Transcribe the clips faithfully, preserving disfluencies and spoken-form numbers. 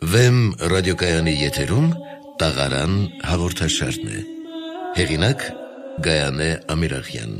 Վեմ ռադիոկայանի եթերում տաղարան հաղորդաշարն է։ Հեղինակ Գայանե Ամիրախյան։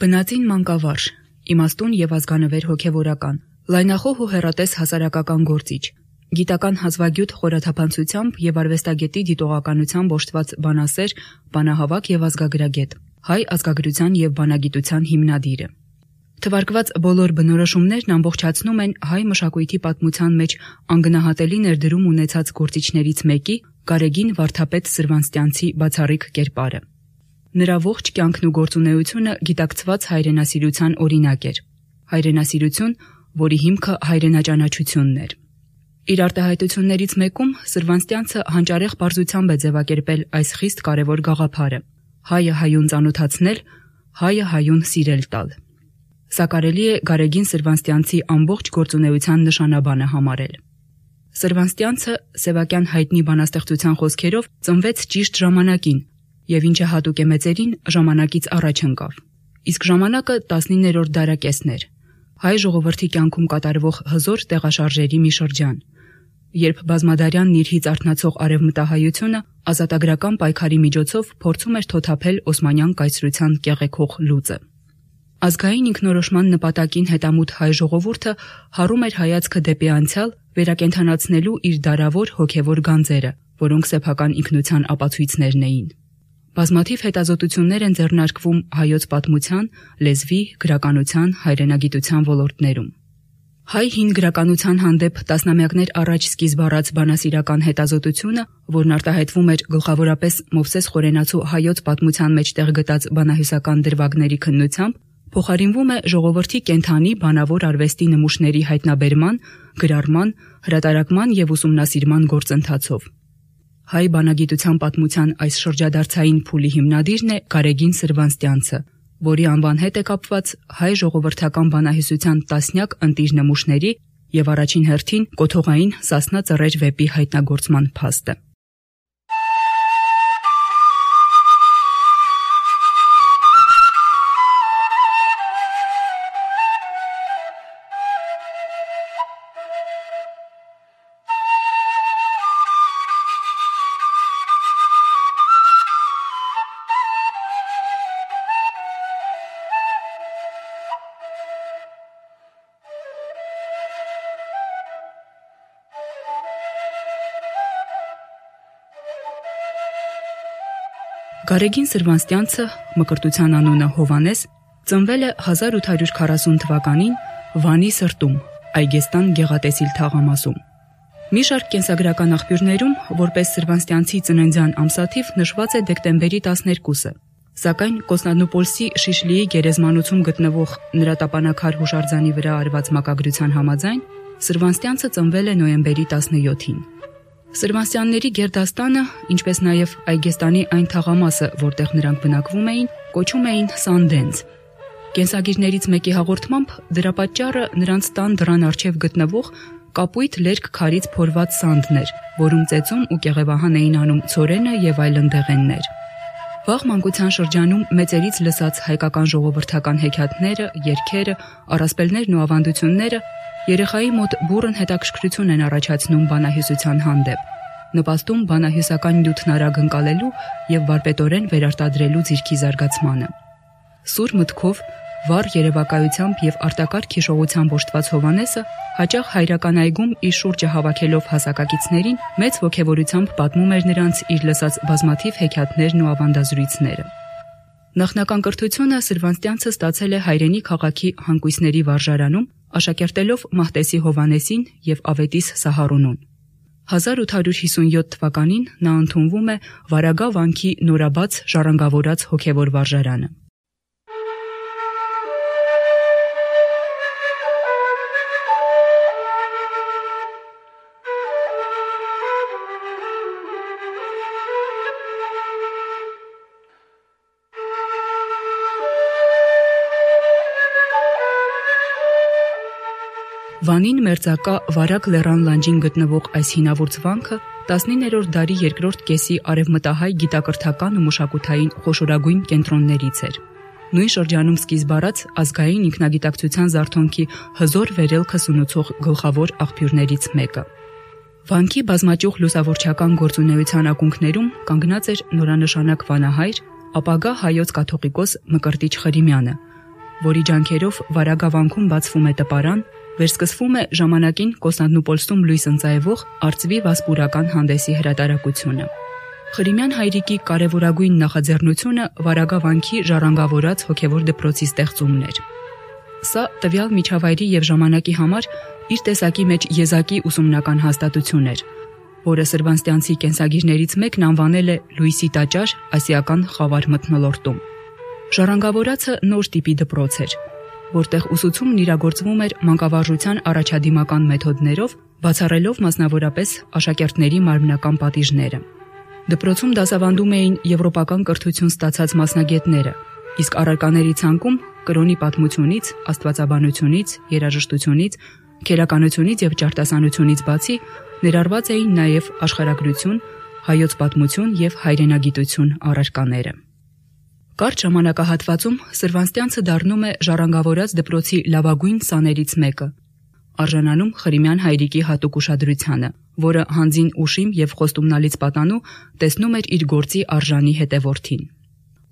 Բնածին մանկավարժ, իմաստուն և ազգանվեր հոգևորական, լայնախոհ ու հեռատես հասարակական գործիչ, գիտական հազվագյուտ խորաթափանցությամբ և արվեստագետի դիտողականությամբ օժտված բանասեր, բանահավաք և ազգագրագետ, հայ ազգագրության և բանագիտության հիմնադիրը։ Թվարկված բոլոր բնորոշումներն ամբողջացնում են հայ մշակույթի պատմության մեջ անգնահատելի ներդրում ունեցած գործիչներից մեկի՝ Գարեգին Վարդապետ Սրվանստյանցի բացառիկ կերպարը։ Նրա ողջ կյանքն ու գործունեությունը գիտակցված հայրենասիրության օրինակ էր։ Հայրենասիրություն, որի հիմքը հայրենաճանաչությունն էր։ Իր արտահայտություններից մեկում Սրվանստյանցը հանճարեղ պարզությամբ է ձևակերպել այս խիստ կարևոր գաղափարը՝ հայը հայուն ծանոթացնել, հայը հայուն սիրել տալ։ Սա կարելի է Գարեգին Սրվանստյանցի ամբողջ գործունեության նշանաբանը համարել։ Սրվանստյանցը սևակյան հայտնի բանաստեղծության խոսքերով ծնվեց ճիշտ ժամանակին և ինչը հատուկ է մեծերին, ժամանակից առաջ ընկավ։ Իսկ ժամանակը տասնիններորդ դարակեսն էր, հայ ժողովրդի կյանքում կատարվող հզոր տեղաշարժերի մի շրջան, երբ բազմադարյան նիրհից արթնացող արևմտահայությունը ազատագրական պայքարի միջոցով փորձում էր թոթափել օսմանյան կայսրության կեղեքող լուծը։ Ազգային ինքնորոշման նպատակին հետամուտ հայ ժողովուրդը հարում էր հայացքը դեպի անցյալ, վերակենդանացնելու իր դարավոր հոգևոր գանձերը, որոնք սեփական ինքնության ապացույցներն էին։ Բազմաթիվ հետազոտություններ են ձեռնարկվում հայոց պատմության, լեզվի, գրականության, հայրենագիտության ոլորտներում։ Հայ հին գրականության հանդեպ տասնամյակներ առաջ սկիզբ առած բանասիրական հետազոտությունը, որն արտահայտվում էր գլխավորապես Մովսես Խորենացու հայոց պատմության մեջ տեղ գտած բանահյուսական դրվագների քննությամբ, փոխարինվում է ժողովրդի կենդանի բանավոր արվեստի նմուշների հայտնաբերման, գրառման, հրատարակման և ուսումնասիրման գործընթացով։ Հայ բանագիտության պատմության այս շրջադարձային փուլի հիմնադիրն է Գարեգին Սրվանստյանցը, որի անվան հետ է կապված հայ ժողովրդական բանահյուսության տասնյակ ընտիր նմուշների և առաջին հերթին կոթողային Սասնա Ծռեր վեպի հայտնագործման փաստը։ Գարեգին Սրվանստյանցը, մկրտության անունը Հովհաննես, ծնվել է հազար ութ հարյուր քառասուն թվականին Վանի սրտում, Այգեստան գեղատեսիլ թաղամասում։ Մի շարք կենսագրական աղբյուրներում, որպես Սրվանստյանցի ծննդյան ամսաթիվ նշված է դեկտեմբերի տասներկուսը, սակայն Կոստանդնուպոլսի Շիշլիի գերեզմանոցում գտնվող նրա տապանակար հուշարձանի վրա արված մակագրության համաձայն Սրվանստյանցը ծնվել է նոյեմբերի տասնյոթին։ Սրվանստյանների գերդաստանը, ինչպես նաև Այգեստանի այն թաղամասը, որտեղ նրանք բնակվում էին, կոչում էին Սանդենձ։ Կենսագիրներից մեկի հաղորդմամբ դրա պատճառը նրանց տան դռան առջև գտնվող կապույտ լերկ քարից փորված սանդն էր, որում ծեծում ու կեղևահան էին անում ցորենը և այլ ընդեղեններ։ Վաղ մանկության շրջանում մեծերից լսած հայկական ժողովրդական հեքիաթները, երգերը, առասպելներն ու ավանդությունները երեխայի մոտ բուռն հետաքրքրություն են առաջացնում բանահյուսության հանդեպ, նպաստում բանահյուսական նյութն արագ ընկալելու և վարպետորեն վերարտադրելու ձիրքի զարգացմանը։ Սուր մտքով, վառ երևակայությամբ և արտակարգ հիշողությամբ օժտված Հովհաննեսը հաճախ հայրական այգում իր շուրջը հավաքելով հասակակիցներին մեծ ոգևորությամբ պատմում էր նրանց իր լսած բազմաթիվ հեքիաթներն ու ավանդազրույցները։ Նախնական կրթությունը Սրվանստյանցը ստացել է հայրենի քաղաքի հանգույցների վարժարանում, աշակերտելով Մահտեսի Հովհաննեսին և Ավետիս Սահարունուն։ հազար ութ հարյուր հիսունյոթ թվականին նա ընդունվում է Վարագա վանքի նորաբաց ժառանգավորած հոգևոր վարժարանը։ Վանին մերձակա Վարակ լեռան լանջին գտնվող այս հինավուրց վանքը տասնիններորդ դարի երկրորդ կեսի արևմտահայ գիտակրթական ու մշակութային խոշորագույն կենտրոններից էր։ Նույն շրջանում սկիզբ առած ազգային ինքնագիտակցության զարթոնքի հզոր վերելքը սնուցող գլխավոր աղբյուրներից մեկը։ Վանքի բազմաճյուղ լուսավորչական գործունեության ակունքներում կանգնած էր նորանշանակ վանահայր, ապագա հայոց կաթողիկոս Մկրտիչ Խրիմյանը, որի ջանքերով Վարագավանքում բացվում է տպարան, վերսկսվում է ժամանակին Կոստանդնուպոլսում լույս ընծայվող արծվի վասպուրական հանդեսի հրատարակությունը։ Խրիմյան հայրիկի կարևորագույն նախաձեռնությունը Վարագավանքի ժառանգավորած հոգևոր դպրոցի ստեղծումն էր։ Սա տվյալ միջավայրի եւ ժամանակի համար իր տեսակի մեջ եզակի ուսումնական հաստատություն էր, որը սրբանստյանցի կենսագիրներից մեկն անվանել է Լույսի տաճար ասիական խավար մթնոլորտում։ Ժառանգավորածը նոր տիպի դպրոց էր, որտեղ ուսուցումն իրագործվում էր մանկավարժության առաջադիմական մեթոդներով, բացառելով մասնավորապես աշակերտների մարմնական պատիժները։ Դպրոցում դասավանդում էին եվրոպական կրթություն ստացած մասնագետները, իսկ առարկաների ցանկում կրոնի պատմությունից, աստվածաբանությունից, երաժշտությունից, քերականությունից եւ ճարտասանությունից բացի ներառված էին նաեւ աշխարհագրություն, հայոց պատմություն եւ հայրենագիտություն առարկաները։ Կարճ ժամանակահատվածում Սրվանստյանցը դառնում է ժառանգավորած դպրոցի լավագույն սաներից մեկը, արժանանում Խրիմյան հայրիկի հատուկ ուշադրությանը, որը հանձին ուշիմ եւ խոստումնալից պատանու տեսնում էր իր գործի արժանի հետևորդին։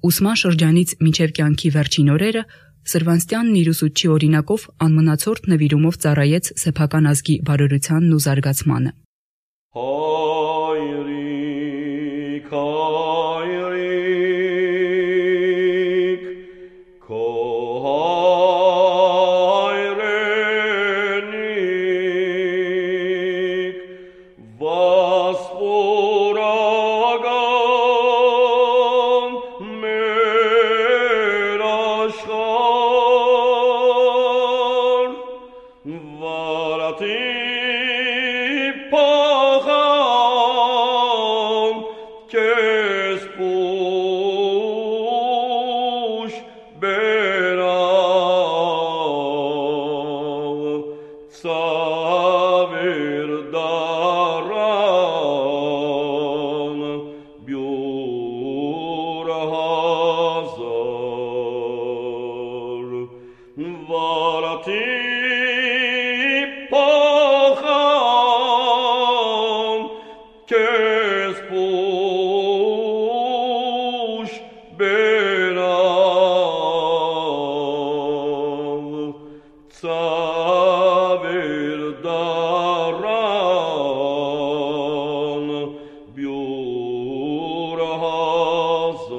Ուսման շրջանից մինչև կյանքի վերջին օրերը Սրվանստյանն իր ուսուցչի օրինակով անմնացորդ նվիրումով ծառայեց սեփական ազգի բարօրությանն ու զարգացմանը։ Հայրիկ, հայրիկ, քո հայրենիք, վասպուրական մեր աշխարհ, վարատի փոխան քեզ պուշ բերավ, ծավեր դարան բյուր հազար, վարատի փոխան քեզ պուշ բերավ, ծավեր դարան բյուր հազար,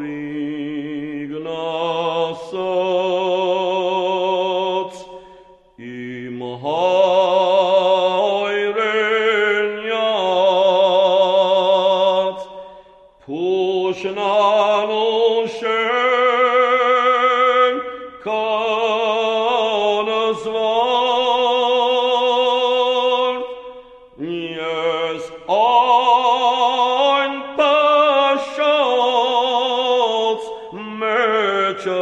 հայրիկն ասաց իմ հայրենյաց, փուշնանուշեն կանզվար, ես այն պաշած մեջը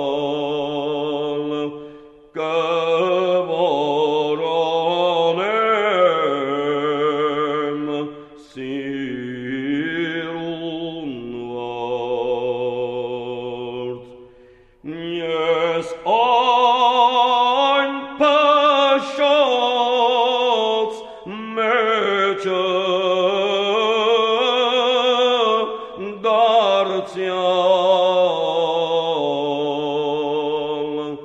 դարձյալ կվորոնեմ սիրուն վարդ, ես այն պաշած մեջը դարձյալ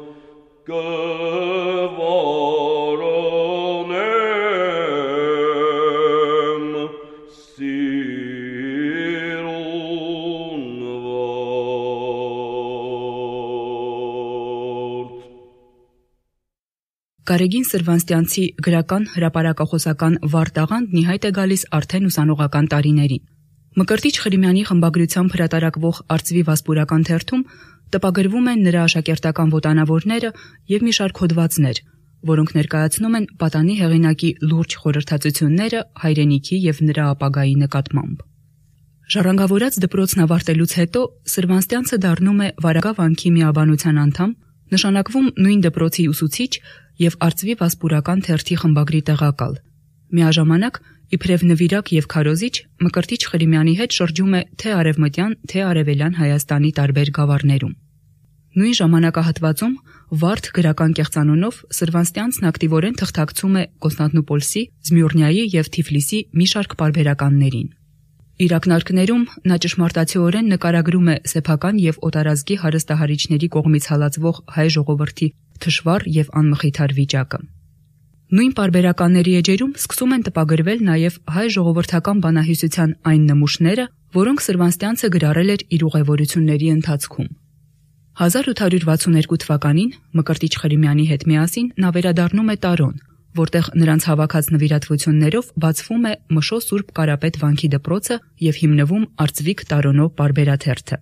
կվորոնեմ սիրուն վարդ։ Գարեգին Սրվանստյանցի գրական հրապարակախոսական վառ տաղանդն ի հայտ է գալիս արդեն ուսանողական տարիներին։ Մկրտիչ Խրիմյանի խմբագրությամբ հրատարակվող արծվի վասպուրական թերթում տպագրվում են նրա աշակերտական ոտանավորները եւ մի շարք հոդվածներ, որոնք ներկայացնում են պատանի հեղինակի լուրջ խորհրդածությունները հայրենիքի եւ նրա ապագայի նկատմամբ։ Ժառանգավորած դպրոցն ավարտելուց հետո Սրվանստյանցը դառնում է Վարագա վանքի միաբանության անդամ, նշանակվում նույն դպրոցի ուսուցիչ եւ Արծվի վասպուրական թերթի խմբագրի տեղակալ։ Միաժամանակ իբրև նվիրակ եւ քարոզիչ Մկրտիչ Խրիմյանի հետ շրջում է թե արևմտյան, թե արևելյան Հայաստանի տարբեր գավառներում։ Նույն ժամանակահատվածում Վարդ գրական կեղծանունով Սրվանստյանցն ակտիվորեն թղթակցում է Կոնստանտինոպոլսի, Զմյուռնիայի եւ Թիֆլիսի մի շարք պարբերականներին։ Իր ակնարկներում նա ճշմարտացիորեն նկարագրում է սեփական եւ օտարազգի հարստահարիչների կողմից հալածվող հայ ժողովրդի թշվառ եւ անմխիթար վիճակը։ Նույն պարբերականների էջերում սկսում են տպագրվել նաեւ հայ ժողովրդական բանահյուսության այն նմուշները, որոնք Սրվանստյանցը գրառել էր իր ուղևորությունների ընթացքում։ հազար ութ հարյուր վաթսուններկու թվականին Մկրտիչ Խրիմյանի հետ միասին նա վերադառնում է Տարոն, որտեղ նրանց հավաքած նվիրատվություններով բացվում է Մշո Սուրբ Կարապետ վանքի դպրոցը եւ հիմնվում Արծվիկ Տարոնո պարբերաթերթը։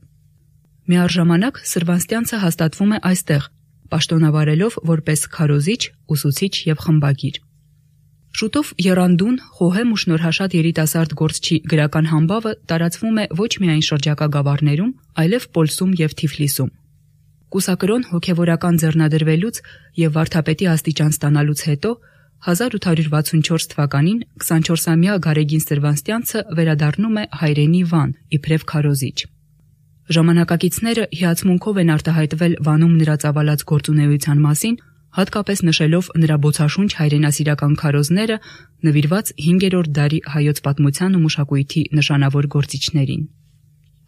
Միառժամանակ Սրվանստյանցը հաստատվում է այստեղ, պաշտոնավարելով որպես քարոզիչ, ուսուցիչ եւ խմբագիր։ Շուտով եռանդուն, խոհեմ ու շնորհաշատ երիտասարդ գործչի գրական համբավը տարածվում է ոչ միայն շրջակա գավառներում, այլև Պոլսում եւ Թիֆլիսում։ Կուսակրոն հոգևորական ձեռնադրվելուց եւ վարդապետի աստիճան ստանալուց հետո հազար ութ հարյուր վաթսունչորս թվականին քսանչորսամյա Գարեգին Սրվանստյանցը վերադառնում է հայրենի Վան, իբրև քարոզիչ։ Ժամանակակիցները հիացմունքով են արտահայտվել Վանում նրա ծավալած գործունեության մասին, հատկապես նշելով նրա բոցաշունչ հայրենասիրական քարոզները, նվիրված հինգերորդ դարի հայոց պատմության ու մշակույթի նշանավոր գործիչներին։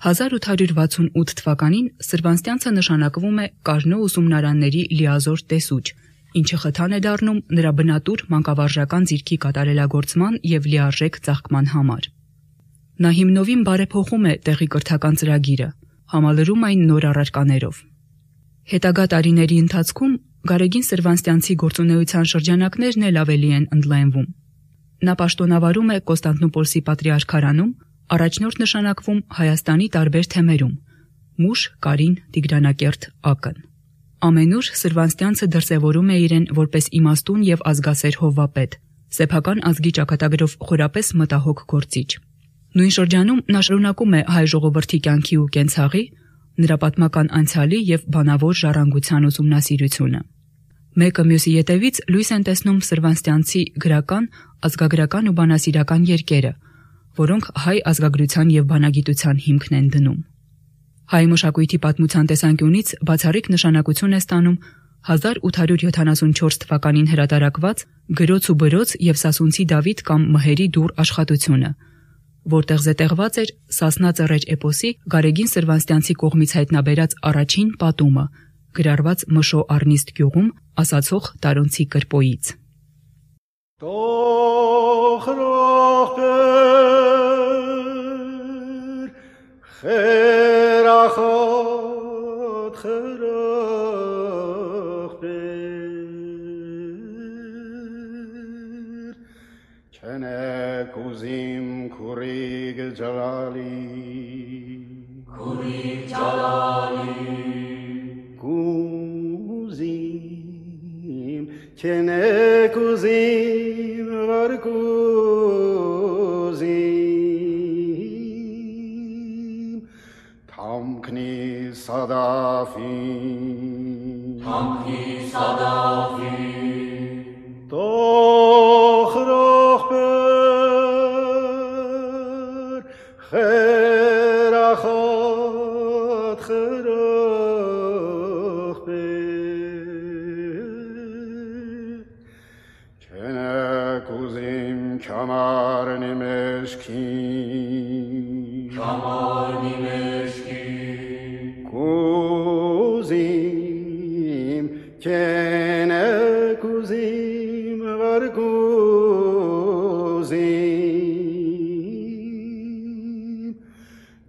հազար ութ հարյուր վաթսունութ թվականին Սրվանստյանցը նշանակվում է Կառնո ուսումնարանների լիազոր տեսուչ, ինչը խթան է դառնում նրա բնատուր մանկավարժական ձիրքի կատարելագործման եւ լիարժեք ծաղկման համար։ Նա հիմնովին բարեփոխում է տեղի կրթական ծրագիրը, համալրում այն նոր առարկաներով։ Հետագա տարիների ընթացքում Գարեգին Սրվանստյանցի գործունեության շրջանակներն էլ ավելի են ընդլայնվում։ Նա պաշտոնավարում է Կոնստանտինոպոլսի պատրիարքարանում, առաջնորդ նշանակվում Հայաստանի տարբեր թեմերում՝ Մուշ, Կարին, Տիգրանակերտ, Ակն։ Ամենուր Սրվանստյանցը դրսևորում է իրեն որպես իմաստուն եւ ազգասեր հովվապետ, սեփական ազգի ճակատագրով խորապես մտահոգ գործիչ։ Նույն շրջանում նա շարունակում է հայ ժողովրդի կյանքի ու կենցաղի, նրա պատմական անցյալի եւ բանավոր ժառանգության ուսումնասիրությունը։ Մեկը մյուսի ետևից լույս են տեսնում Սրվանստյանցի գրական, ազգագրական ու բանասիրական երկերը, որոնք հայ ազգագրության եւ բանագիտության հիմքն են դնում։ Հայ մշակույթի պատմության տեսանկյունից բացառիկ նշանակություն է ստանում հազար ութ հարյուր յոթանասունչորս թվականին հրատարակված Գրոց ու բրոց եւ Սասունցի Դավիթ կամ Մհերի դուռ աշխատությունը, որտեղ զետեղված էր Սասնա ծռեր էպոսի Գարեգին Սրվանստյանցի կողմից հայտնաբերած առաջին պատումը, գրառված Մշո Առնիստ գյուղում ասացող տարոնցի կրպոյից։ خیرخواد خیرخ بیر کنه کوزیم کوریگ جلالی کوریگ جلالی کوزیم کنه کوزیم ورکوزیم تامکنی صدافی تامکنی صدافی دخرخ بر خیرخواد خیرخ بر کنه کوزیم کمر نمشکی کمر نمشکی کوزیم کنه کوزیم ورکوزیم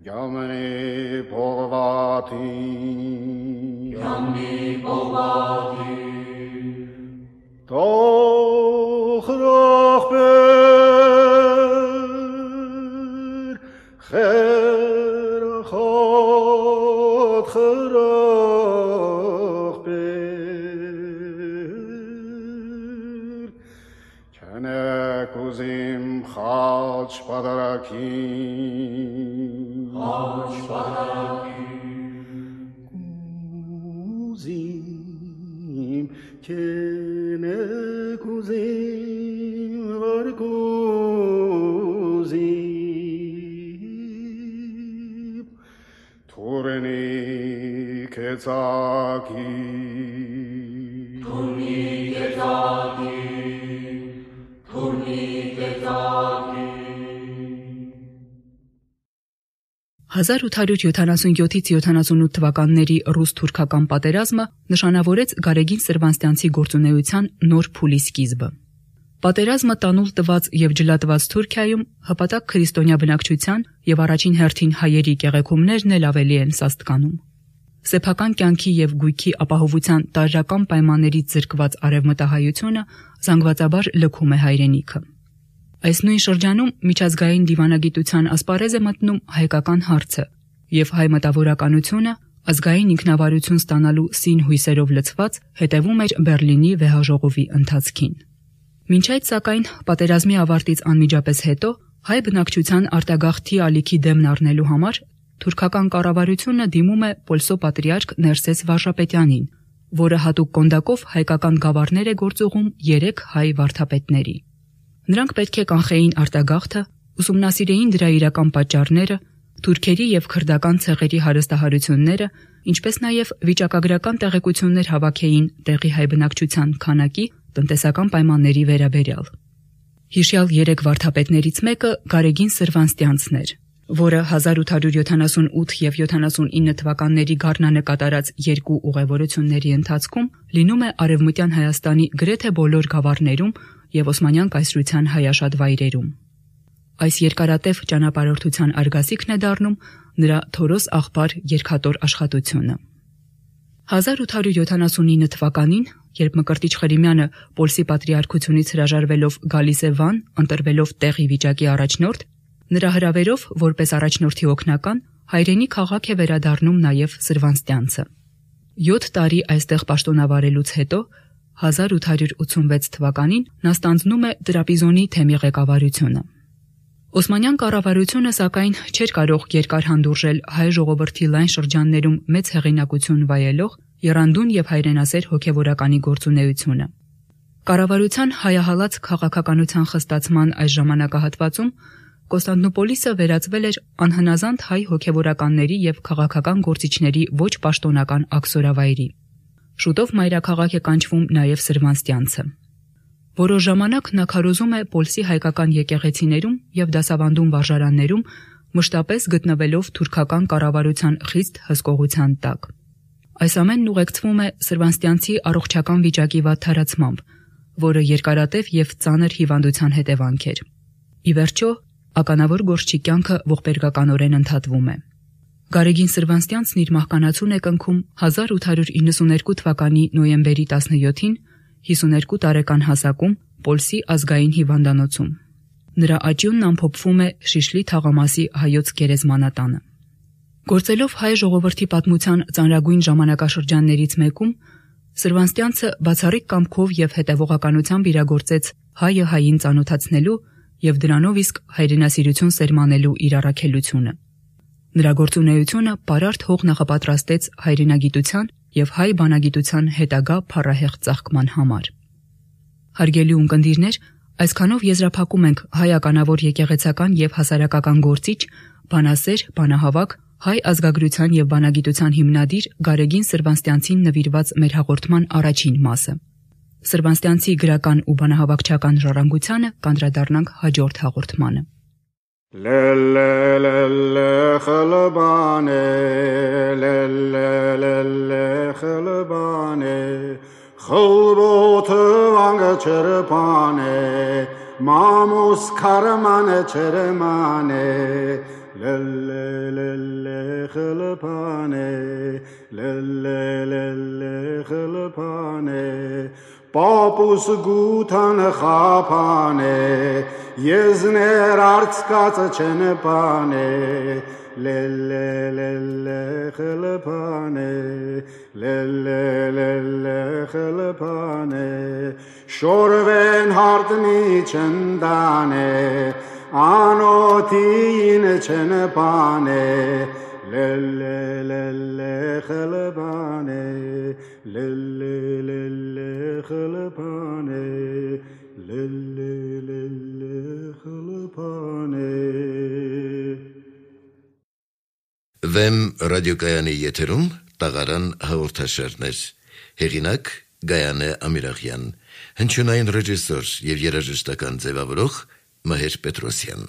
یامنی پرواتی یامنی پرواتی دخرخ بر خیر خود خیرخ بر պատարակի Աչ պատարակի Կուզիմ կենե կուզիմ վար կուզիմ Թուրենի կեցակի Թուրնի կեցակի Թուրնի կեցակի հազար ութ հարյուր յոթանասունյոթից յոթանասունութ թվականների ռուս-թուրքական պատերազմը նշանավորեց Գարեգին Սրբաստյանցի գործունեության նոր փուլի սկիզբը։ Պատերազմը տանուլ տված եւ ջլատված Թուրքիայում հպատակ քրիստոնյա բնակչության եւ առաջին հերթին հայերի կեղեքումներն էլ ավելի են սաստկանում։ Սեփական կյանքի եւ գույքի ապահովության տարրական պայմաններից զրկված արևմտահայությունը զանգվածաբար լքում է հայրենիքը։ Այս նույն շրջանում միջազգային դիվանագիտության ասպարեզ է մտնում հայկական հարցը եւ հայ մտավորականությունը ազգային ինքնավարություն ստանալու սին հույսերով լցված հետևում էր Բերլինի վեհաժողովի ընթացքին։ Մինչ այդ սակայն պատերազմի ավարտից անմիջապես հետո հայ բնակչության արտագաղթի ալիքի դեմն առնելու համար թուրքական կառավարությունը դիմում է Պոլսո պատրիարք Ներսես Վարժապետյանին, որը հատուկ կոնդակով հայկական գավառներ է գործուղում երեք հայ վարդապետների։ Նրանք պետք է կանխեին արտագաղթը, ուսումնասիրեին դրա իրական պատճառները, թուրքերի եւ քրդական ցեղերի հարստահարությունները, ինչպես նաեւ վիճակագրական տեղեկություններ հավաքեին տեղի հայ բնակչության քանակի, տնտեսական պայմանների վերաբերյալ։ Հիշյալ երեք վարդապետներից մեկը Գարեգին Սրբաստյանցն էր, որը հազար ութ հարյուր յոթանասունութ եւ յոթանասունինը թվականների գարնանկատարած երկու ուղևորությունների ընթացքում լինում է Արևմտյան Հայաստանի գրեթե բոլոր գավառներում եւ Օսմանյան կայսրության հայաշատ վայրերում։ Այս երկարատև ճանապարհորդության արգասիքն է դառնում նրա Թորոս աղբար երկաթոր աշխատությունը։ հազար ութ հարյուր յոթանասունինը թվականին, երբ Մկրտիչ Խրիմյանը Պոլսի պատրիարքությունից հրաժարվելով գալիս է Վան, ընտրվելով տեղի վիճակի առաջնորդ, նրա հրավերով, որպես առաջնորդի օգնական, հայրենի քաղաք է վերադառնում նաեւ Սրբաստյանցը։ յոթ տարի այստեղ պաշտոնավարելուց հետո հազար ութ հարյուր ութսունվեց թվականին նա ստանձնում է Տրապիզոնի թեմի ղեկավարությունը։ Օսմանյան կառավարությունը սակայն չէր կարող երկար հանդուրժել հայ ժողովրդի լայն շրջաններում մեծ հեղինակություն վայելող եռանդուն եւ հայրենասեր հոգեվորականի գործունեությունը։ Կառավարության հայահալած քաղաքականության խստացման այս ժամանակահատվածում Կոստանդնուպոլիսը վերածվել էր անհնազանդ հայ հոգեվորականների եւ քաղաքական գործիչների ոչ պաշտոնական աքսորավայրի։ Շուտով մայրաքաղաք է կանչվում նաեւ Սրբաստյանցը։ Որոշ ժամանակ նա քարոզում է Պոլսի հայկական եկեղեցիներում եւ դասավանդում վարժարաններում, մշտապես գտնվելով թուրքական կառավարության խիստ հսկողության տակ։ Այս ամենն ուղեկցվում է Սրբաստյանցի առողջական վիճակի վատ թարացմամբ, որը երկարատև եւ ծանր հիվանդության հետևանք էր։ Ի վերջո, ականավոր գործչի կյանքը ողբերգականորեն ընդհատվում է։ Գարեգին Սրբաստյանցն իր մահկանացուն է կնքում հազար ութ հարյուր իննսուներկու թվականի նոյեմբերի տասնյոթին հիսուներկու տարեկան հասակում Պոլսի ազգային հիվանդանոցում։ Նրա աճյունն ամփոփվում է Շիշլի թաղամասի հայոց գերեզմանատանը։ Գործելով հայ ժողովրդի պատմության ծանրագույն ժամանակաշրջաններից մեկում, Սրբաստյանցը բացառիկ կամքով եւ հետևողականությամբ իրագործեց հայը հային ծանոթացնելու եւ դրանով իսկ հայրենասիրություն սերմանելու իր առաքելությունը։ Նրա գործունեությունը պարարտ հող նախապատրաստեց հայրենագիտության եւ հայ բանագիտության հետագա փառահեղ ծաղկման համար։ Հարգելի ունկնդիրներ, այսքանով եզրափակում ենք հայ ականավոր եկեղեցական եւ հասարակական գործիչ, բանասեր, բանահավաք, հայ ազգագրության եւ բանագիտության հիմնադիր Գարեգին Սրբաստյանցին նվիրված մեր հաղորդման առաջին մասը։ Սրբաստյանցի գրական ու բանահավաքչական ժառանգությանը կանդրադառնանք հաջորդ հաղորդմանը։ Լելելելե խլբանե լելելելե խլբանե խլբոթը վանգը չրպանե մամուս քարմանե չրմանե լելելելե խլբանե լելելելե խլբանե Պապուս գութանը խապանե, եզներ արցկացը չնպանե, լելելելե խլպանե, լելելելե խլպանե, շորվեն հարտնի չնդանե, անոթին չնպանե լելե լելե խլբանե լելե լելե խլբանե լելե լելե խլբանե Վեմ ռադիոկայանի եթերում տաղարան հաղորդաշարներ հեղինակ Գայանե Ամիրախյան հնչյունային ռեժիսոր եւ երաժշտական ձևավորող Մհեր Պետրոսյան